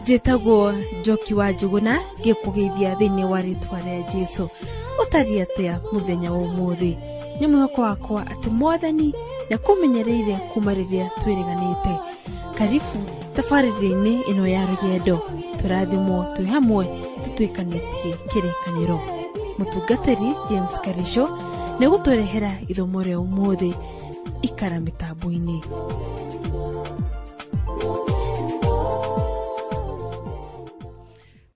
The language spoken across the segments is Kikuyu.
Njĩtagwo Njoki wa Njũgũna, ngĩkũgeithia thĩinĩ wa rĩtwa rĩa Jesũ. Ũtariĩ atĩa mũthenya wa ũmũthĩ? Nĩ mwĩhoko wakwa atĩ Mwathani nĩakũmenyereire kuma rĩrĩa twĩrĩganĩte. Karibu tabarĩra-inĩ ĩno ya rũgendo, tũrathimwo twĩ hamwe tũtuĩkanĩtie kĩrĩkanĩro. Mũtungatĩri James Karisho nĩegũtũrehera ithomo rĩa ũmũthĩ. Ikara mĩtambo-inĩ.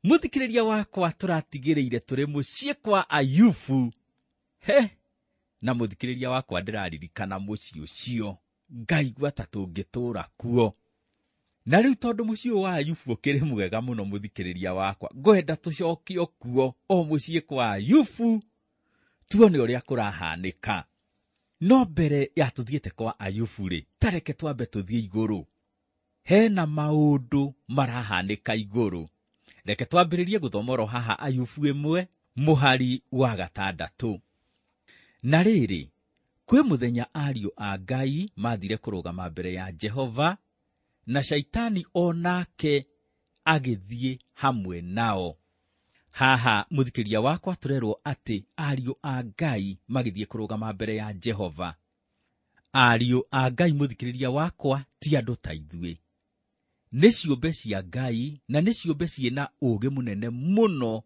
Mũthikĩrĩria wakwa, tũratigĩrĩire tũrĩ mũciĩ kwa Ayubu. He, na mũthikĩrĩria wakwa, ndĩraririkana mũciĩ ũcio, ngaigua ta tũngĩtũũra kuo. Na rĩu tondũ mũciĩ ũyũ wa Ayubu ũkĩrĩ mwega mũno, mũthikĩrĩria wakwa, ngwenda tũcokio kuo o mũciĩ kwa Ayubu, tuone ũrĩa kũrahanĩka. No mbere ya tũthiĩte kwa Ayubu rĩ, ta reke twambe tũthiĩ igũrũ. Hena maũndũ marahanĩka igũrũ. Reke twambĩrĩrie gũthoma oro haha Ayubu 1 mũhari wa 6. Na rĩrĩ, kwĩ mũthenya ariũ a Ngai mathire kũrũgama mbere ya Jehova, na Shaitani o nake agĩthiĩ hamwe nao. Haha mũthikĩria wakwa, tũrerwo atĩ ariũ a Ngai magĩthiĩ kũrũgama mbere ya Jehova. Ariũ a Ngai, mũthikĩrĩria wakwa, ti andũ ta ithuĩ. Nĩ ciũmbe cia Ngai, na nĩ ciũmbe ciĩna ũũgĩ mũnene mũno,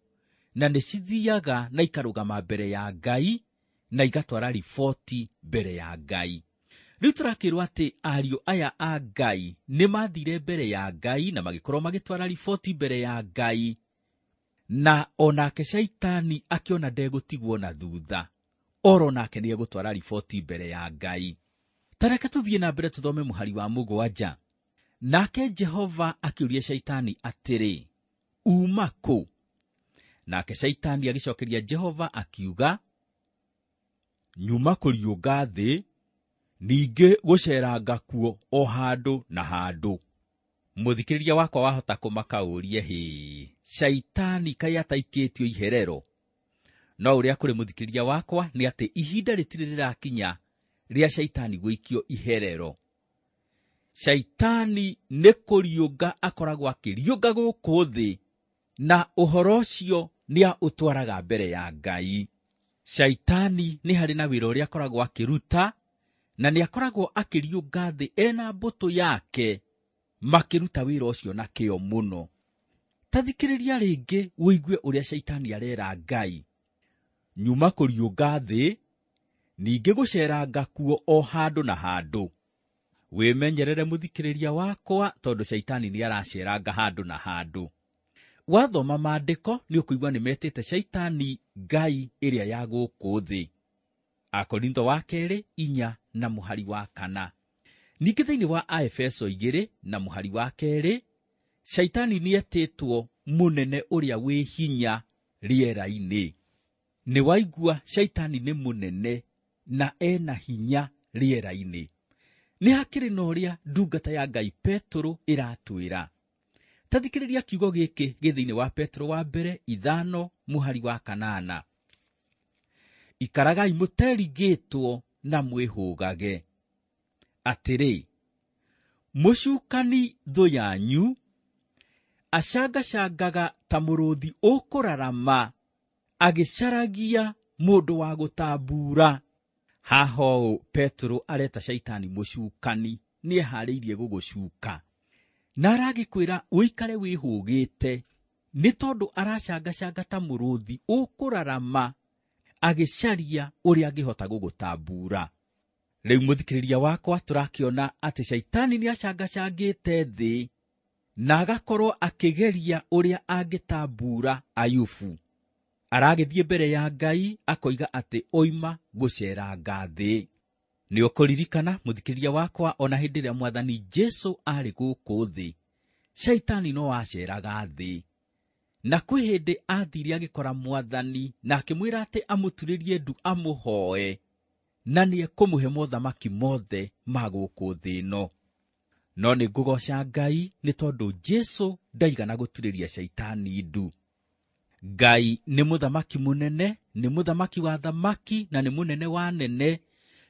na nĩ cithiaga na ikarũgama mbere ya Ngai, na igatwara riboti mbere ya Ngai. Rĩu tũrakĩrwo atĩ ariũ aya a Ngai nĩ mathire mbere ya Ngai na magĩkorwo magĩtwara riboti mbere ya Ngai, na onake Shaitani akĩona ndegũtigwo na thutha, oro nake nĩ egũtwara riboti mbere ya Ngai. Ta reke tũthiĩ na mbere tũthome mũhari wa 7. Nake Jehova akĩũria Shaitani atĩrĩ, uma kũ? Nake Shaitani agĩcokeria Jehova akiuga, nyuma kũriũnga thĩ, ningĩ gũceranga kuo o handũ na handũ. Mũthikĩrĩria wakwa wahota kũmaka ũrie, hĩ, Shaitani kaĩ ataikĩtio iherero? No ũrĩa kũrĩ mũthikĩrĩria wakwa nĩ atĩ ihinda rĩtirĩ rĩrakinya rĩa Shaitani gũikio iherero. Shaitani nĩ kũriũnga akoragwo akĩriũnga gũkũ thĩ, na ũhoro ũcio nĩ ũtwaraga mbere ya Ngai. Shaitani nĩ harĩ na wĩra ũrĩa akoragwo akĩruta, na nĩ akoragwo akĩriũnga thĩ ena mbũtũ yake, makĩruta wĩra ũcio na kĩo mũno. Ta thikĩrĩria rĩngĩ ũigue ũrĩa Shaitani arera Ngai. Nyuma kũriũnga thĩ, ningĩ gũceranga kuo o handũ na handũ. Wĩmenyerere mũthikĩrĩria wakwa, tondũ Shaitani nĩ araceranga handũ na handũ. Wathoma maandĩko nĩ ũkũigua nĩ metĩte Shaitani ngai ĩrĩa ya gũkũ thĩ. Akorintho wa 2 4 na mũhari wa 4. Ningĩ thĩinĩ wa Aefeso 2 na mũhari wa 2, Shaitani nĩ etĩtwo mũnene ũrĩa wĩ hinya rĩera-inĩ. Nĩ waigua Shaitani nĩ mũnene na ena hinya rĩera-inĩ. Nĩ hakĩrĩ na ũrĩa ndungata ya Ngai Petero ĩratwĩra. Ta thikĩrĩria kiugo gĩkĩ gĩ thĩinĩ wa Petero wa mbere 5 mũhari wa 8. Ikaragai mũterigĩtwo na mwĩhũgage. Atĩrĩ, mũcukani thũ yanyu acangacangaga ta mũrũthi ũkũrarama, agĩcaragia mũndũ wa gũtambura. Haha ũũ Petero areta Shaitani mũcukani, nĩeharĩirie gũgũcuka. Na aragĩkwĩra ũikare wĩhũgĩte, nĩ tondũ aracangacanga ta mũrũthi ũkũrarama, agĩcaria ũrĩa angĩhota gũgũtambura. Rĩu mũthikĩrĩria wakwa, tũrakĩona atĩ Shaitani nĩacangacangĩte thĩ na agakorwo akĩgeria ũrĩa angĩtambura Ayubu. Aragĩthiĩ mbere ya Ngai akoiga atĩ oima gũceranga thĩ. Nĩ ũkũririkana mũthikĩrĩria wakwa, ona hĩndĩ ĩrĩa Mwathani Jesũ arĩ gũkũ thĩ, Shaitani no aceraga thĩ. Na kwĩ hĩndĩ athire agĩkora Mwathani na akĩmwĩra atĩ amũturĩrie ndu amũhoe, na nĩekũmũhe mothamaki mothe ma gũkũ thĩ ĩno. No nĩ ngũgoca Ngai nĩ tondũ Jesũ ndaigana gũturĩria Shaitani ndu. Ngai nĩ mũthamaki mũnene, nĩ mũthamaki wa thamaki na nĩ mũnene wa nene.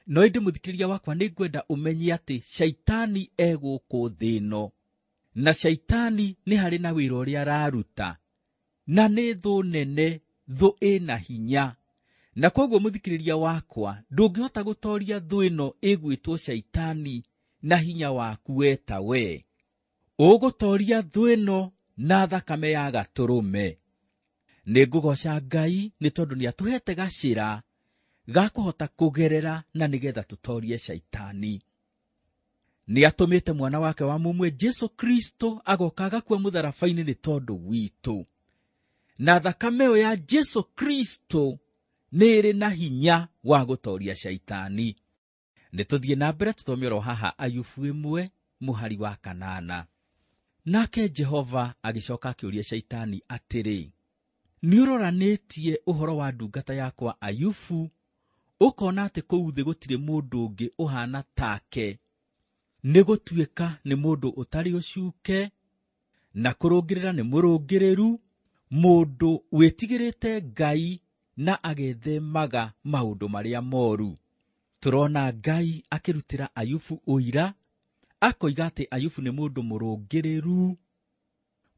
No ĩndĩ mũthikĩrĩria wakwa, nĩ ngwenda ũmenye atĩ Shaitani e gũkũ thĩ ĩno. Na Shaitani nĩ harĩ na wĩra ũrĩa araruta, na nĩ thũ nene, thũ ĩna hinya. Na koguo mũthikĩrĩria wakwa, ndũngĩhota gũtoria thũ ĩno ĩgwĩtwo Shaitani na hinya waku we ta we. Ũgũtoria thũ ĩno na thakame ya gatũrũme. Nĩ ngũgoca Ngai nĩ tondũ nĩ atũhete gacĩra ga kũhota kũgerera na nĩgetha tũtorie Shaitani. Nĩ atũmĩte mwana wake wa mũmwe Jesu Kristo agoka agakua mũtharaba-inĩ nĩ tondũ witũ. Na thakame ĩyo ya Jesu Kristo nĩ ĩrĩ na hinya wa gũtoria Shaitani. Nĩ tũthiĩ na mbere tũthome oro haha Ayubu 1 mũhari wa 8. Nake Jehova agĩcoka akĩũria Shaitani atĩrĩ, nĩ ũroranĩtie ũhoro wa ndungata yakwa Ayubu, ũkona atĩ kũu thĩ gũtirĩ mũndũ ũngĩ ũhaana take, nĩ gũtuĩka nĩ mũndũ ũtarĩ ũcuke, na kũrũngĩrĩra nĩ mũrũngĩrĩru, mũndũ wĩtigĩrĩte Ngai na agethemaga maũndũ marĩa moru. Tũrona Ngai akĩrutĩra Ayubu ũira, akoiga atĩ Ayubu nĩ mũndũ mũrũngĩrĩru,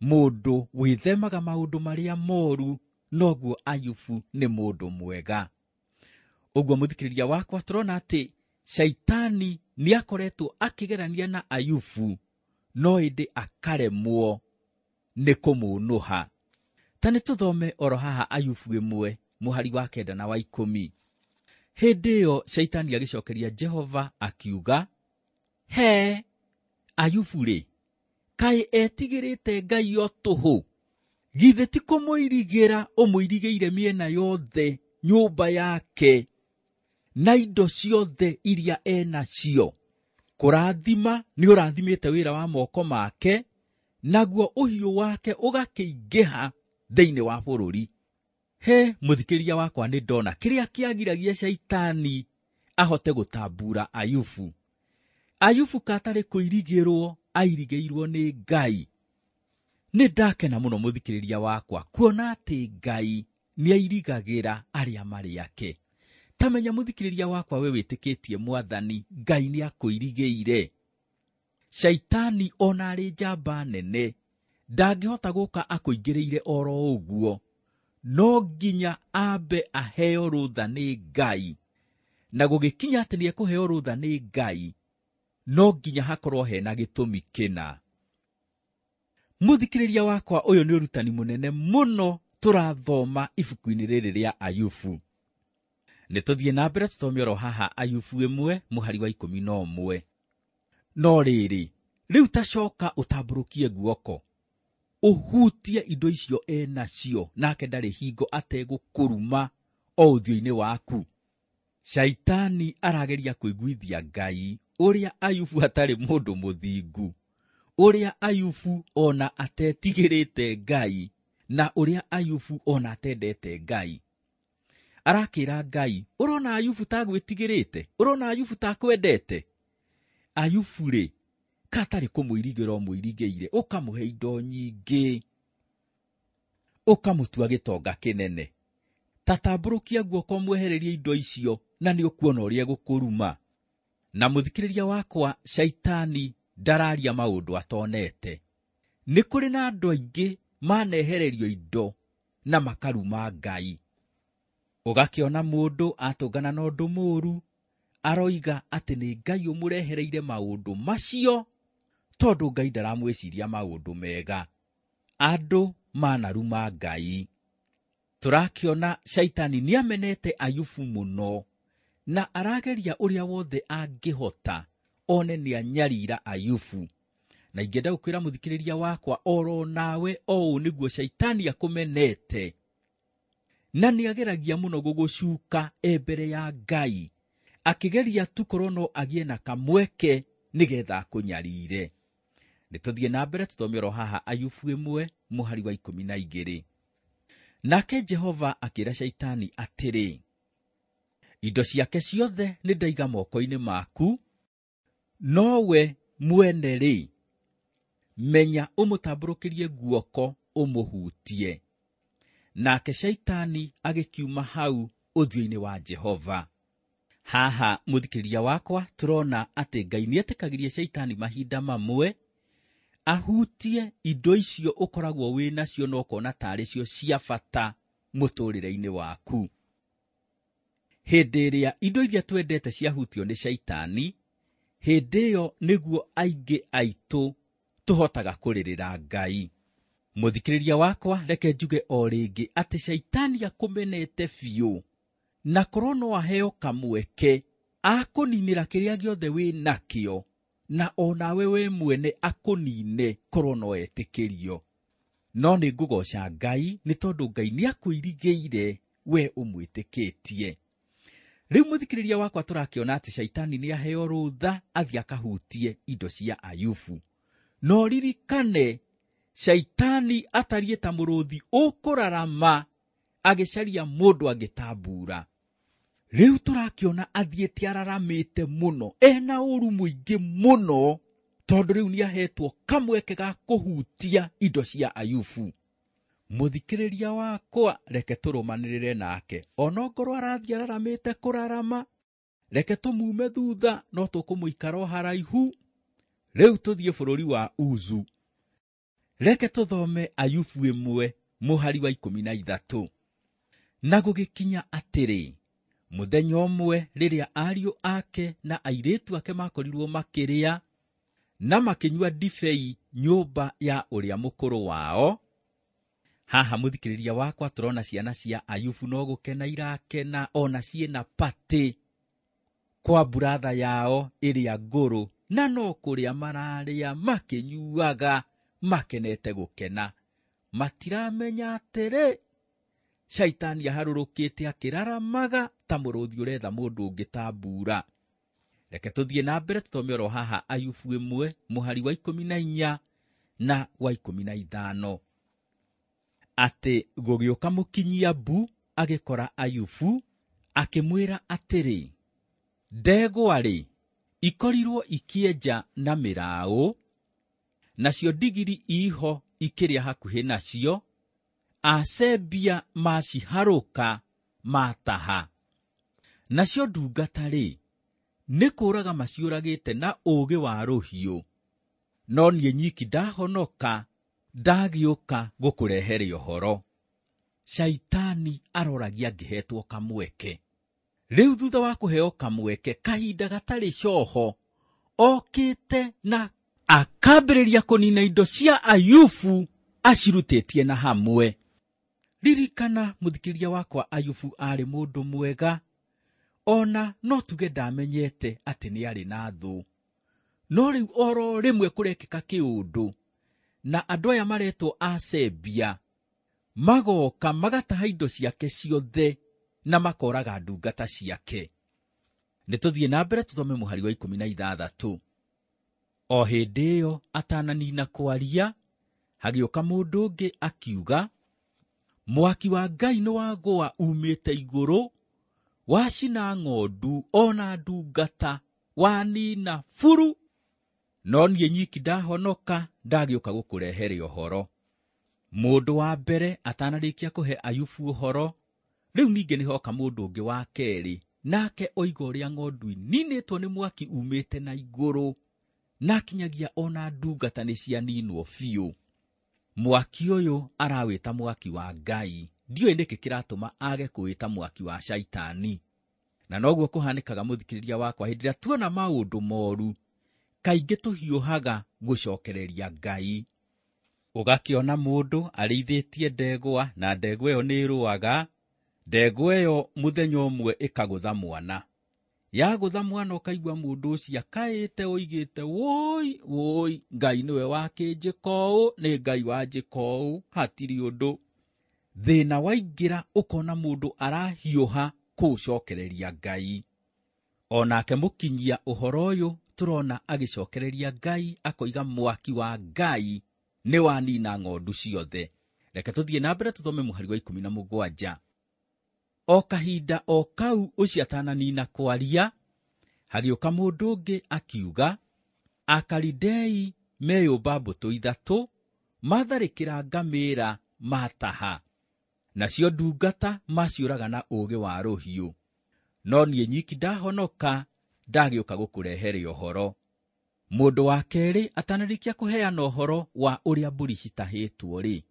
mũndũ wĩthemaga maũndũ marĩa moru, noguo Ayubu nĩ mũndũ mwega. Ũguo mũthikĩrĩria wakwa, tũrona atĩ Shaitani nĩ akoretwo akĩgerania na Ayubu, no ĩndĩ akaremwo nĩ kũmũnũha. Ta nĩ tũthome oro haha Ayubu 1 mũhari wa 9 na wa 10. Hĩndĩ ĩyo Shaitani agĩcokeria Jehova akiuga, he Ayubu rĩ, kaĩ etigĩrĩte Ngai o tũhũ? Githĩ ti kũmũirigĩra ũmũirigĩire mĩena yothe nyũmba yake na indo ciothe iria enacio? Kũrathima nĩ ũrathimĩte wĩra wa moko make, naguo ũhiũ wake ũgakĩingĩha thĩinĩ wa bũrũri. He mũthikĩrĩria wakwa, nĩ ndona kĩrĩa kĩagiragia Shaitani ahote gũtambura Ayubu. Ayubu katarĩ kũirigĩrwo airigĩirwo nĩ Ngai. Nĩ ndakena mũno mũthikĩrĩria wakwa kuona atĩ Ngai nĩ airigagĩra arĩa marĩ ake. Ta menya mũthikĩrĩria wakwa, we wĩtĩkĩtie Mwathani, Ngai nĩ akũirigĩire. Shaitani ona arĩ njamba nene ndangĩhota gũka akũingĩrĩire oro ũguo, no nginya ambe aheo rũtha nĩ Ngai. Na gũgĩkinya atĩ nĩ ekũheo rũtha nĩ Ngai, no nginya hakorwo hena gĩtũmi kĩna. Mũthikĩrĩria wakwa, ũyũ nĩ ũrutani mũnene mũno tũrathoma ibuku-inĩ rĩrĩ rĩa Ayubu. Nĩ tũthiĩ na mbere tũthome oro haha Ayubu 1 mũhari wa 11. No rĩrĩ, rĩu tacoka ũtambũrũkie guoko, ũhutie indo icio enacio, nake ndarĩ hingo ategũkũruma o ũthiũ-inĩ waku. Shaitani arageria kũiguithia Ngai ũrĩa Ayubu atarĩ mũndũ mũthingu, ũrĩa Ayubu ona atetigĩrĩte Ngai, na ũrĩa Ayubu ona atendete Ngai. Arakĩra Ngai, ũrona Ayubu ta gwĩtigĩrĩte? Ũrona Ayubu ta kwendete? Ayubu rĩ, katarĩ kũmũirigĩra ũmũirigĩire, ũkamũhe indo nyingĩ, ũkamũtua gĩtonga kĩnene. Ta tambũrũkia guoko ũmwehererie indo icio, na nĩ ũkuona ũrĩa egũkũruma. Na mũthikĩrĩria wakwa, Shaitani ndararia maũndũ atonete. Nĩ kũrĩ na andũ aingĩ manehererio indo na makaruma Ngai. Ũgakĩona mũndũ atũngana na ũndũ mũũru, aroiga atĩ nĩ Ngai ũmũrehereire maũndũ macio, tondũ Ngai ndaramwĩciria maũndũ mega. Andũ manaruma Ngai. Tũrakĩona Shaitani nĩamenete Ayubu mũno, na arageria ũrĩa wothe angĩhota one nĩanyarira Ayubu. Na ingĩenda gũkwĩra mũthikĩrĩria wakwa, oro nawe o ũũ nĩguo Shaitani akũmenete, na nĩageragia mũno gũgũcuka e mbere ya Ngai, akĩgeria tu korwo no agĩe na kamweke nĩgetha akũnyarire. Nĩ tũthiĩ na mbere tũthome oro haha Ayubu 1 mũhari wa 12. Nake Jehova akĩra Shaitani atĩrĩ, indo ciake ciothe nĩ ndaiga moko-inĩ maku, nowe mwene rĩ, menya ũmũtambũrũkĩrie guoko ũmũhutie. Nake Shaitani agĩkiuma hau ũthiũ-inĩ wa Jehova. Haha mũthikĩrĩria wakwa, tũrona atĩ Ngai nĩetĩkagĩria Shaitani mahinda mamwe Ahutie indo icio ũkoragwo wĩ nacio na ũkona tarĩ cio cia bata mũtũrĩre-inĩ waku. Hĩndĩ ĩrĩa indo iria twendete ciahutio nĩ caitani, hĩndĩ ĩyo nĩguo aingĩ aitũ tũhotaga kũrĩrĩra Ngai. Mũthikĩrĩria wakwa, reke njuge o rĩngĩ atĩ caitani akũmenete biũ, na korwo no aheo kamweke akũninĩra kĩrĩa gĩothe wĩ nakĩo, na onawe we mwene akũnine korwo no etĩkĩrio. No nĩ ngũgoca Ngai nĩ tondũ Ngai nĩ akwĩrigĩire we ũmwĩtĩkĩtie. Rĩu mũthikĩrĩria wakwa, tũrakĩona atĩ caitani nĩ aheo rũtha athiĩ akahutie indo cia Ayubu. No ririkane, caitani atariĩ ta mũrũthi ũkũrarama agĩcaria mũndũ angĩtambura. Rĩu tũrakĩona athiĩte araramĩte mũno, ena ũru mũingĩ mũno, tondũ rĩu nĩ ahetwo kamweke ga kũhutia indo cia Ayubu. Mũthikĩrĩria wakwa, reke tũrũmanĩrĩre nake, onongorwo arathiĩ araramĩte kũrarama, reke tũmume thutha, no tũkũmũikara o haraihu. Rĩu tũthiĩ bũrũri wa Uzu. Reke tũthome Ayubu 1 mũhari wa 13. Na gũgĩkinya atĩrĩ, mũthenya ũmwe rĩrĩa ariũ ake na airĩtu ake makorirwo makĩrĩa na makĩnyua ndibei nyũmba ya ũrĩa mũkũrũ wao. Haha mũthikĩrĩria wakwa, tũrona ciana cia Ayubu no gũkena irakena, ona ciĩna patĩ kwa buratha yao ĩrĩa ngũrũ, na no kũrĩa mararĩa makĩnyuaga makenete gũkena. Matiramenya atĩrĩ, caitani aharũrũkĩte akĩraramaga ta mũrũthi ũretha mũndũ ũngĩtambura. Reke tũthiĩ na mbere tũthome oro haha Ayubu 1 mũhari wa 14 na wa 15. Atĩ gũgĩũka mũkinyia mbu agĩkora Ayubu akĩmwĩra atĩrĩ, ndegwa-rĩ ikorirwo ikĩenja na mĩraũ, nacio ndigiri iho ikĩrĩa hakuhĩ nacio, Asebia maciharũka mataha. Nacio ndungata-rĩ, nĩ kũũraga maciũragĩte na ũũgĩ wa rũhiũ, no niĩ nyiki ndahonoka, ndagĩũka gũkũrehere ũhoro. Caitani aroragia angĩhetwo kamweke. Rĩu thutha wa kũheo kamweke kahinda gatarĩ coho, okĩte na akambĩrĩria kũnina indo cia Ayubu acirutĩtie na hamwe. Ririkana mũthikĩrĩria wakwa, Ayubu aarĩ mũndũ mwega, ona no tuge ndamenyete atĩ nĩ arĩ na thũ. No rĩu oro rĩmwe kũrekĩka kĩũndũ, na andũ aya maretwo Asebia magoka magataha indo ciake ciothe na makoraga ndungata ciake. Nĩ tũthiĩ na mbere tũthome mũhari wa 16. O hĩndĩ ĩyo atananina kwaria, hagĩũka mũndũ ũngĩ akiuga, mwaki wa Ngai nĩ wagũa umĩte igũrũ, wacina ng'ondu ona ndungata, wanina buru, no niĩ nyiki ndahonoka, ndagĩũka gũkũrehere ũhoro. Mũndũ wa mbere atanarĩkia kũhe Ayubu ũhoro, rĩu ningĩ nĩ hoka mũndũ ũngĩ wa kerĩ, nake oiga ũrĩa ng'ondu ininĩtwo nĩ mwaki umĩte na igũrũ, na kinyagia ona ndungata nĩ cianinwo biũ. Mwaki ũyũ arawĩta mwaki wa Ngai, ndiũĩ nĩkĩ kĩratũma age kũwĩta mwaki wa caitani. Na noguo kũhanĩkaga mũthikĩrĩria wakwa, hĩndĩ ĩrĩa tuona maũndũ moru, kaingĩ tũhiũhaga gũcokereria Ngai. Ũgakĩona mũndũ arĩithĩtie ndegwa, na ndegwa ĩyo nĩ ĩrũaga, ndegwa ĩyo mũthenya ũmwe ĩkagũtha mwana. Yagũtha mwana ũkaigua mũndũ ũcio akaĩte oigĩte, woi woi, Ngai nĩwe wakĩnjĩka ũũ, nĩ Ngai wanjĩka ũũ, hatirĩ ũndũ. Thĩna waingĩra ũkona mũndũ arahiũha kũũcokereria Ngai. Onake mũkinyia ũhoro ũyũ tũrona agĩcokereria Ngai, akoiga mwaki wa Ngai nĩ wanina ng'ondu ciothe. Reke tũthiĩ na mbere tũthome mũhari wa 17. O kahinda o kau ũcio atananina kwaria, hagĩũka mũndũ ũngĩ akiuga, Akalidei meyũmba mbũtũ ithatũ, matharĩkĩra ngamĩĩra mataha, nacio ndungata maciũraga na ũũgĩ wa rũhiũ. No niĩ nyiki ndahonoka, ndagĩũka gũkũrehere ũhoro. Mũndũ wa kerĩ atanarĩkia kũheana ũhoro wa ũrĩa mbũri citahĩtwo rĩ,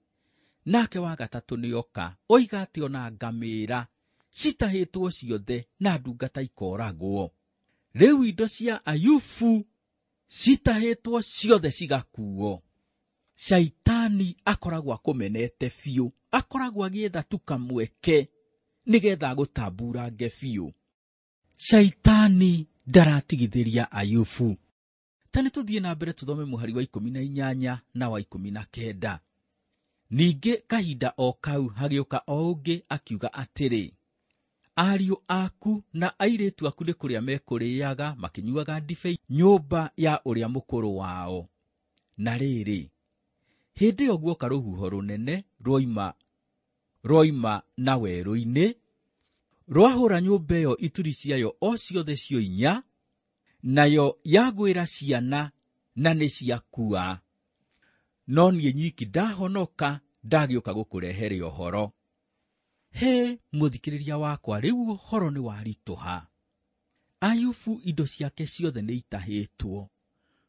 nake wa gatatũ nĩoka oiga atĩ ona ngamĩra citahĩtwo ciothe na ndungata ikoragwo. Rĩu indo cia Ayubu citahĩtwo ciothe cigakuo. Shaitani akoragwo akũmenete biũ, akoragwo agĩetha tu kamweke nĩgetha agũtamburange biũ. Shaitani ndaratigithĩria Ayubu. Ta nĩ tũthiĩ na mbere tũthome mũhari wa 18 na wa 19. Ningĩ kahinda o kau hagĩũka o ũngĩ akiuga atĩrĩ, ariũ aku na airĩtu aku nĩ kũrĩa mekũrĩaga makĩnyuaga ndibei nyũmba ya ũrĩa mũkũrũ wao. Na rĩrĩ, hĩndĩ ĩyo guoka rũhuho rũnene rwoima na werũ-inĩ, rwahũra nyũmba ĩyo ituri ciayo o ciothe cio inya, nayo yagwĩra ciana na nĩ ciakua. No niĩ nyiki ndahonoka, ndagĩũka gũkũrehere ũhoro. He mũthikĩrĩria wakwa, rĩu ũhoro nĩ waritũha. Ayubu indo ciake ciothe nĩ itahĩtwo,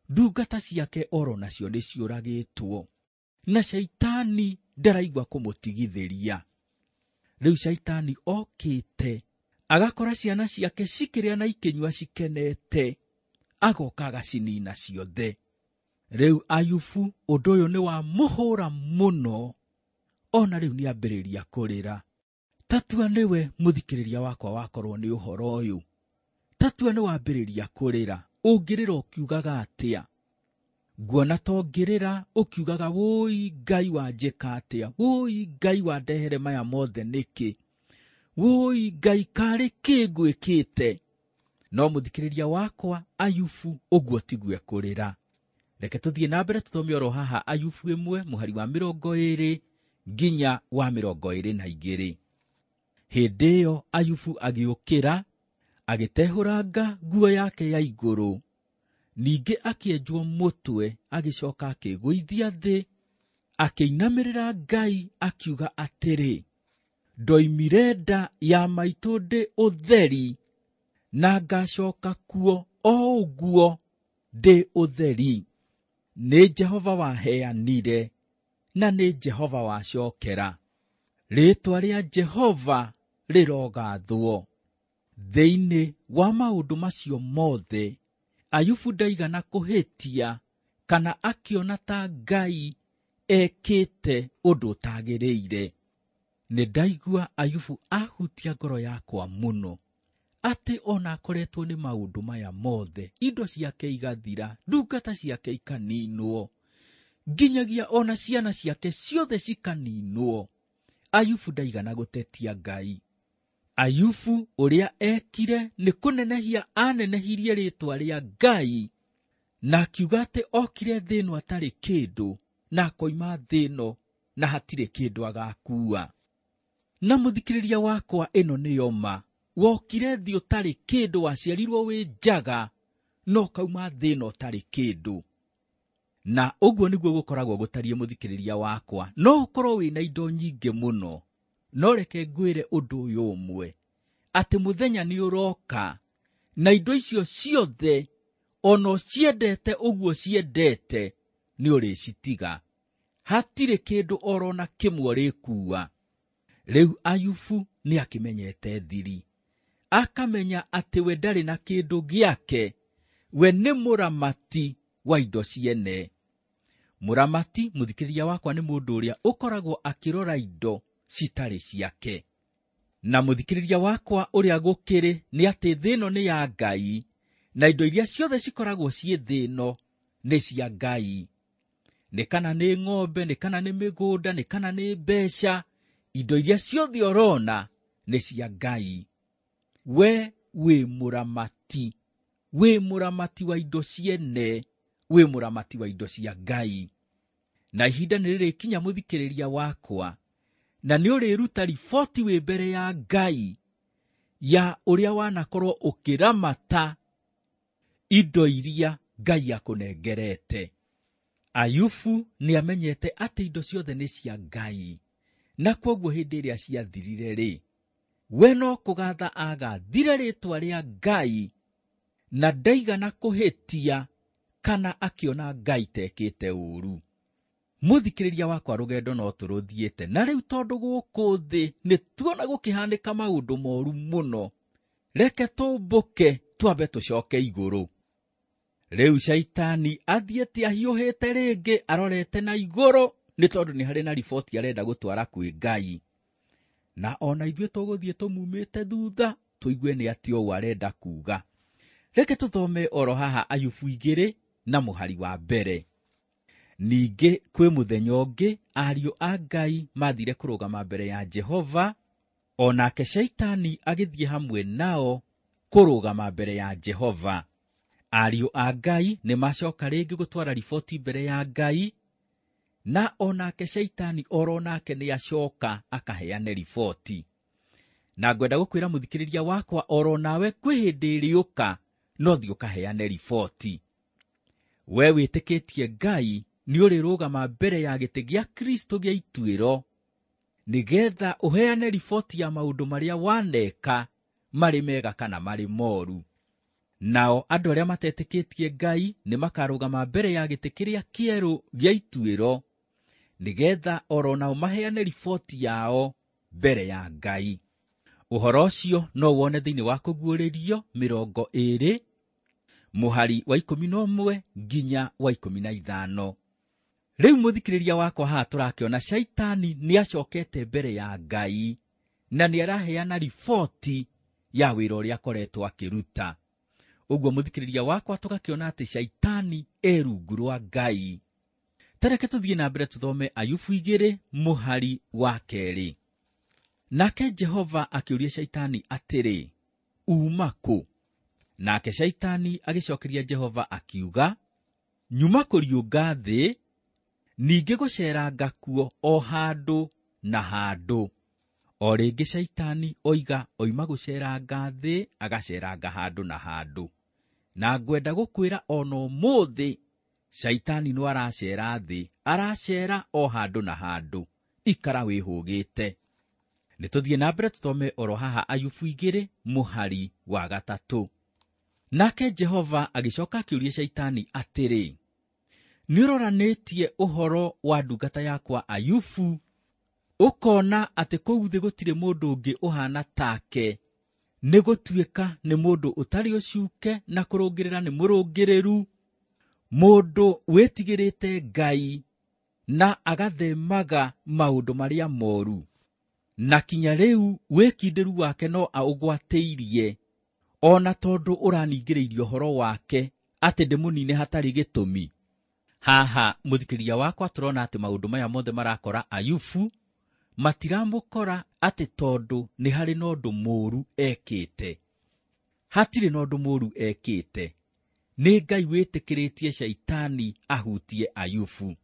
ndungata ciake oro nacio nĩ ciũragĩtwo, na Shaitani ndaraigua kũmũtigithĩria. Rĩu Shaitani okĩte agakora ciana ciake cikĩrĩa na ikĩnyua cikenete, agoka agacinina ciothe. Rĩu Ayubu ũndũ ũyũ nĩ wamũhũra mũno, ona rĩu nĩambĩrĩria kũrĩra. Tatua nĩwe mũthikĩrĩria wakwa wakorwo nĩ ũhoro ũyũ, tatua nĩ wambĩrĩria kũrĩra, ũngĩrĩra ũkiugaga atĩa? Nguona ta ũngĩrĩra ũkiugaga wũi Ngai wanjĩka atĩa, wũi Ngai wandehere maya mothe nĩkĩ, wũi Ngai karĩ kĩ ngwĩkĩte. No mũthikĩrĩria wakwa, Ayubu ũguo tiguo ekũrĩra. Reke tũthiĩ na mbere tũthome oro haha Ayubu 1 mũhari wa 20 nginya wa 22. Hĩndĩ ĩyo Ayubu agĩũkĩra, agĩtehũranga nguo yake ya igũrũ, ningĩ akĩenjwo mũtwe, agĩcoka akĩgũithia thĩ, akĩinamĩrĩra Ngai akiuga atĩrĩ, ndoimire nda ya maitũ ndĩ ũtheri, na ngacoka kuo o ũguo ndĩ ũtheri. Nĩ Jehova waheanire, na nĩ Jehova wacokera. Rĩĩtwa rĩa Jehova rĩrogathwo. Thĩinĩ wa maũndũ macio mothe, Ayubu ndaigana kũhĩtia kana akĩona ta Ngai ekĩte ũndũ ũtagĩrĩire. Nĩ ndaigua Ayubu ahutia ngoro yakwa mũno, atĩ ona akoretwo nĩ maũndũ maya mothe, indo ciake igathira, ndungata ciake ikaninwo, nginyagia ona ciana ciake ciothe cikaninwo. Ayubu ndaigana gũtetia Ngai. Ayubu ũrĩa ekire nĩ kũnenehia anenehirie rĩĩtwa rĩa Ngai, na akiuga atĩ okire thĩ ĩno atarĩ kĩndũ, na akoima thĩ ĩno na hatirĩ kĩndũ agakua. Na mũthikĩrĩria wakwa, ĩno nĩyo ma. Wokire thĩ ũtarĩ kĩndũ, waciarirwo wĩ njaga, no ũkauma thĩ ĩno ũtarĩ kĩndũ. Na ũguo nĩguo gũkoragwo gũtariĩ mũthikĩrĩria wakwa. No ũkorwo wĩna indo nyingĩ mũno, no reke ngwĩre ũndũ ũyũ ũmwe, atĩ mũthenya nĩ ũroka na indo icio ciothe ona ũciendete ũguo ciendete nĩ ũrĩcitiga. Hatirĩ kĩndũ orona kĩmwe ũrĩkua. Rĩu Ayubu nĩ akĩmenyete thiri, akamenya atĩ we ndarĩ na kĩndũ gĩake, we nĩ mũramati wa indo ciene. Mũramati, mũthikĩrĩria wakwa, nĩ mũndũ ũrĩa ũkoragwo akĩrora indo citarĩ ciake. Na mũthikĩrĩria wakwa, ũrĩa gũkĩrĩ nĩ atĩ thĩ ĩno nĩ ya Ngai, na indo iria ciothe cikoragwo ciĩ thĩ ĩno nĩ cia Ngai. Nĩ kana nĩ ng'ombe, nĩ kana nĩ mĩgũnda, nĩ kana nĩ mbeca, indo iria ciothe ũrona nĩ cia Ngai. We wĩ mũramati, wĩ mũramati wa indo ciene, wĩ mũramati wa indo cia Ngai. Na ihinda nĩ rĩrĩkinya mũthikĩrĩria wakwa, na nĩ ũrĩruta riboti wĩ mbere ya Ngai ya ũrĩa wanakorwo ũkĩramata indo iria Ngai akũnengerete. Ayubu nĩ amenyete atĩ indo ciothe nĩ cia Ngai, na kwoguo hĩndĩ ĩrĩa ciathirire rĩ, we no kũgatha agathire rĩĩtwa rĩa Ngai, na ndaigana kũhĩtia kana akĩona Ngai tekĩte ũũru. Mũthikĩrĩria wakwa, rũgendo no tũrũthiĩte, na rĩu tondũ gũkũ thĩ nĩ tuona gũkĩhanĩka maũndũ moru mũno, reke tũmbũke twambe tũcoke igũrũ. Rĩu Shaitani athiĩte ahiũhĩte rĩngĩ arorete na igũrũ, nĩ tondũ nĩ harĩ na riboti arenda gũtwara kwĩ Ngai. Na ona ithuĩ tũgũthiĩ tũmumĩte thutha tũigue nĩ atĩ ũũ arenda kuga. Reke tũthome oro haha Ayubu 2 na mũhari wa mbere. Ningĩ kwĩ mũthenya ũngĩ ariũ a Ngai mathire kũrũgama mbere ya Jehova, o nake Shaitani agĩthiĩ hamwe nao kũrũgama mbere ya Jehova. Ariũ a Ngai nĩ macoka rĩngĩ gũtwara riboti mbere ya Ngai, na onake Shaitani oro nake nĩ acoka akaheane riboti. Na ngwenda gũkwĩra mũthikĩrĩria wakwa, oro nawe kwĩ hĩndĩ ĩrĩũka no thiĩ ũkaheane riboti. We wĩtĩkĩtie Ngai nĩ ũrĩrũgama mbere ya gĩtĩ gĩa Kristo gĩa ituĩro, nĩgetha ũheane riboti ya maũndũ marĩa waneka, marĩ mega kana marĩ moru. Nao andũ arĩa matetĩkĩtie Ngai nĩ makarũgama mbere ya gĩtĩ kĩrĩa kĩerũ gĩa ituĩro, nĩgetha oro nao maheane riboti yao mbere ya Ngai. Ũhoro ũcio no wone thĩinĩ wa Kũguũrĩrio 20 mũhari wa 11 nginya wa 15. Rĩu mũthikĩrĩria wakwa, haha tũrakĩona Shaitani nĩ acokete mbere ya Ngai na nĩ araheana riboti ya wĩra ũrĩa akoretwo akĩruta. Ũguo mũthikĩrĩria wakwa, tũgakĩona atĩ Shaitani e rungu rwa Ngai. Tareke tũthiĩ na mbere tũthome Ayubu 2 mũhari wa 2. Nake Jehova akĩũria Shaitani atĩrĩ, uma kũ? Nake Shaitani agĩcokeria Jehova akiuga, nyuma kũriũnga thĩ, ningĩ gũceranga kuo o handũ na handũ. O rĩngĩ Shaitani oiga oima gũceranga thĩ, agaceranga handũ na handũ. Na ngwenda gũkwĩra ona ũmũthĩ Shaitani no aracera thĩ, aracera o handũ na handũ. Ikara wĩhũgĩte. Nĩ tũthiĩ na mbere tũthome oro haha Ayubu 2 mũhari wa 3. Nake Jehova agĩcoka akĩũria Shaitani atĩrĩ, nĩũroranĩtie ũhoro wa ndungata yakwa Ayubu, ũkona atĩ kũu thĩ gũtirĩ mũndũ ũngĩ ũhana take, nĩ gũtuĩka nĩ mũndũ ũtarĩ ũcuke na kũrũngĩrĩra nĩ mũrũngĩrĩru, mũndũ wĩtigĩrĩte Ngai na agathemaga maũndũ marĩa moru. Na kinya rĩu wĩkindĩru wake no aũgwatĩirie, ona tondũ ũraningĩrĩirie ũhoro wake atĩ ndĩmũnine hatarĩ gĩtũmi. Haha mũthikĩrĩria wakwa, tũrona atĩ maũndũ maya mothe marakora Ayubu matiramũkora atĩ tondũ nĩ harĩ na ũndũ mũũru ekĩte. Hatirĩ na ũndũ mũũru ekĩte. Nĩ Ngai wĩtĩkĩrĩtie Shaitani ahutie Ayubu.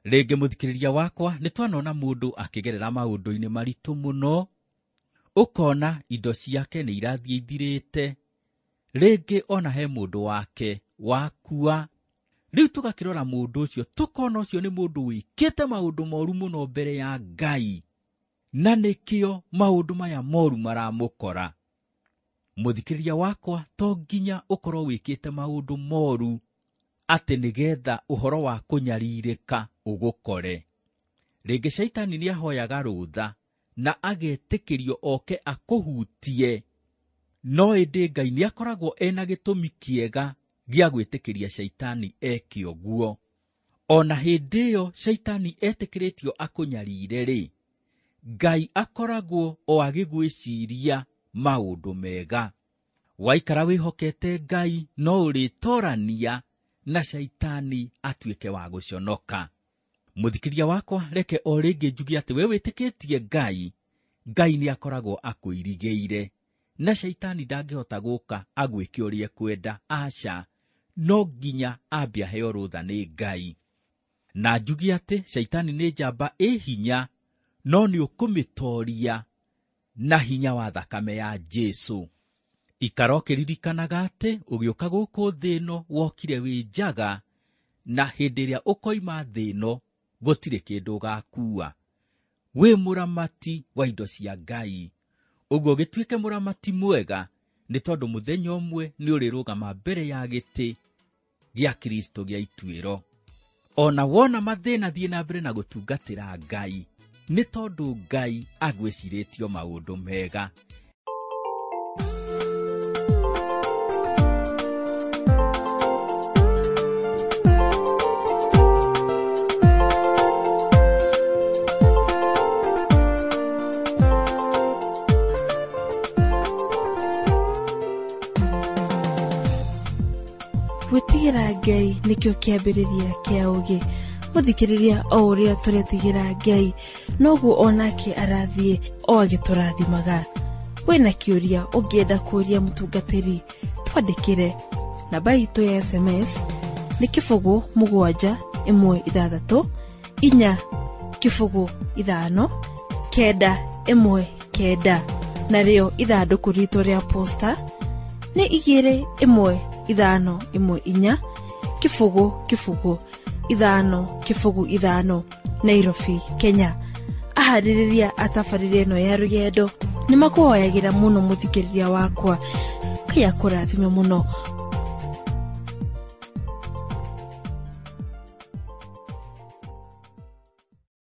Rĩngĩ mũthikĩrĩria wakwa, nĩ twanona mũndũ akĩgerera maũndũ-inĩ maritũ mũno, ũkona indo ciake nĩ irathiĩ ithirĩte, rĩngĩ ona he mũndũ wake wakua. Rĩu tũgakĩrora mũndũ ũcio, tũkona ũcio nĩ mũndũ wĩkĩte maũndũ moru mũno mbere ya Ngai, na nĩkĩo maũndũ maya moru maramũkora. Mũthikĩrĩria wakwa, to nginya ũkorwo wĩkĩte maũndũ moru atĩ nĩgetha ũhoro wa kũnyarirĩka ũgũkore. Rĩngĩ Shaitani nĩ ahoyaga rũtha na agetĩkĩrio oke akũhutie, no ĩndĩ Ngai nĩ akoragwo ena gĩtũmi kĩega gĩa gwĩtĩkĩria Shaitani eke ũguo. Ona hĩndĩ ĩyo Shaitani etĩkĩrĩtio akũnyarire-rĩ, Ngai akoragwo o agĩgwĩciria maũndũ mega. Waikara wĩhokete Ngai no ũrĩtorania na Shaitani atuĩke wa gũconoka. Mũthikĩria wakwa, reke o rĩngĩ njuge atĩ we wĩtĩkĩtie Ngai, Ngai nĩ akoragwo akũirigĩire, na Shaitani ndangĩhota gũka agwĩke ũrĩa ekwenda. Aca, no nginya ambe aheo rũtha nĩ Ngai. Na njuge atĩ Shaitani nĩ njamba ĩ hinya, no nĩ ũkũmĩtoria na hinya wa thakame ya Jesũ. Ikara ũkĩririkanaga atĩ ũgĩũka gũkũ thĩ ĩno wokire wĩ njaga, na hĩndĩ ĩrĩa ũkoima thĩ ĩno gũtirĩ kĩndũ ũgakua. Wĩ mũramati wa indo cia Ngai. Ũguo gĩtuĩke mũramati mwega, nĩ tondũ mũthenya ũmwe nĩ ũrĩrũgama mbere ya gĩtĩ Gĩa Kristo gĩa ituĩro. Ona wona mathĩna thiĩ na mbere na gũtungatĩra Ngai, nĩ tondũ Ngai agwĩcirĩtio maũndũ mega. Gwĩtigĩra Ngai nĩkĩo kĩambĩrĩria kĩa ũũgĩ. Mũthikĩrĩria o ũrĩa tũretigĩra Ngai noguo onake arathiĩ o agĩtũrathimaga. Wĩna kĩũria ũngĩenda kũũria mũtungatĩri, twandĩkĩre. Namba itũ ya SMS nĩ 0 7 1 6 4 0 5 9 1 9, narĩo ithandũkũ ritũ rĩa posta nĩ 2 1 5 1 4 0 0 5 0 5, Nairobi, Kenya. Aharĩrĩria a tabarĩra ĩno ya rũgendo nĩ makũhoyagĩra mũno mũthikĩrĩria wakwa. Ngai akũrathime mũno.